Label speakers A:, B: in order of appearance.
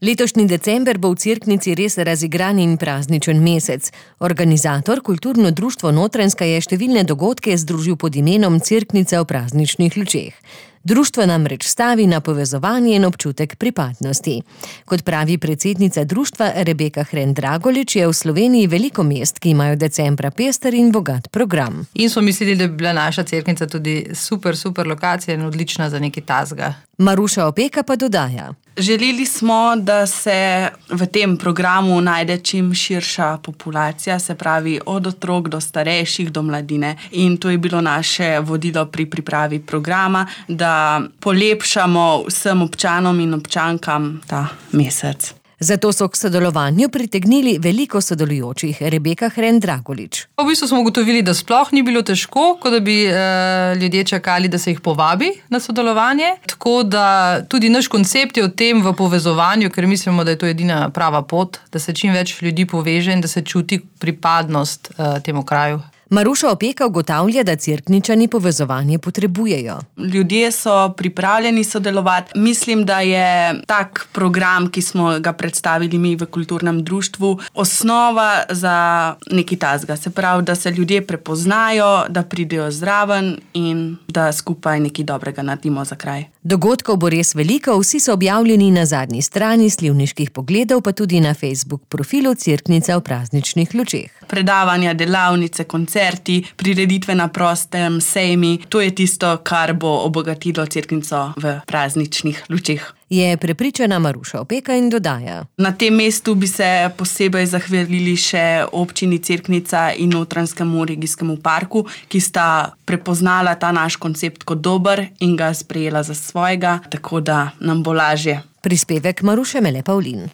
A: Letošnji december bo v Cerknici res razigran in prazničen mesec. Organizator, kulturno društvo Notranjska, je številne dogodke združil pod imenom Cerknica v prazničnih lučeh. Društvo namreč stavi na povezovanje in občutek pripadnosti. Kot pravi predsednica društva Rebeka Hren-Dragolič, je v Sloveniji veliko mest, ki imajo decembra pester in bogat program.
B: In smo mislili, da bi bila naša Cerknica tudi super lokacija in odlična za nekaj tazga.
A: Maruša Opeka pa dodaja:
C: Želeli smo, da se v tem programu najde čim širša populacija, se pravi od otrok do starejših, do mladine. In to je bilo naše vodilo pri pripravi programa, da polepšamo vsem občanom in občankam ta mesec.
A: Zato so k sodelovanju pritegnili veliko sodelujočih. Rebeka Hren-Dragolič.
B: V bistvu smo ugotovili, da sploh ni bilo težko, kot da bi ljudje čakali, da se jih povabi na sodelovanje. Tako da tudi naš koncept je v tem v povezovanju, ker mislimo, da je to edina prava pot, da se čim več ljudi poveže in da se čuti pripadnost temu kraju.
A: Maruša Opeka ugotavlja, da Cerkničani povezovanje potrebujejo.
C: Ljudje so pripravljeni sodelovati. Mislim, da je tak program, ki smo ga predstavili mi v kulturnem društvu, osnova za nekaj tazga. Se pravi, da se ljudje prepoznajo, da pridejo zraven in da skupaj nekaj dobrega naredimo za kraj.
A: Dogodkov bo res veliko, vsi so objavljeni na zadnji strani Slivniških pogledov, pa tudi na Facebook profilu Cerknica v prazničnih lučeh.
C: Predavanja, delavnice, koncerti, prireditve na prostem, sejmi, to je tisto, kar bo obogatilo Cerknico v prazničnih lučeh.
A: Je prepričana Maruša Opeka in dodaja:
C: Na tem mestu bi se posebej zahvalili še občini Cerknica in Notranjskemu regijskemu parku, ki sta prepoznala ta naš koncept kot dober in ga sprejela za svojega, tako da nam bo lažje.
A: Prispevek Maruše Mele Pavlin.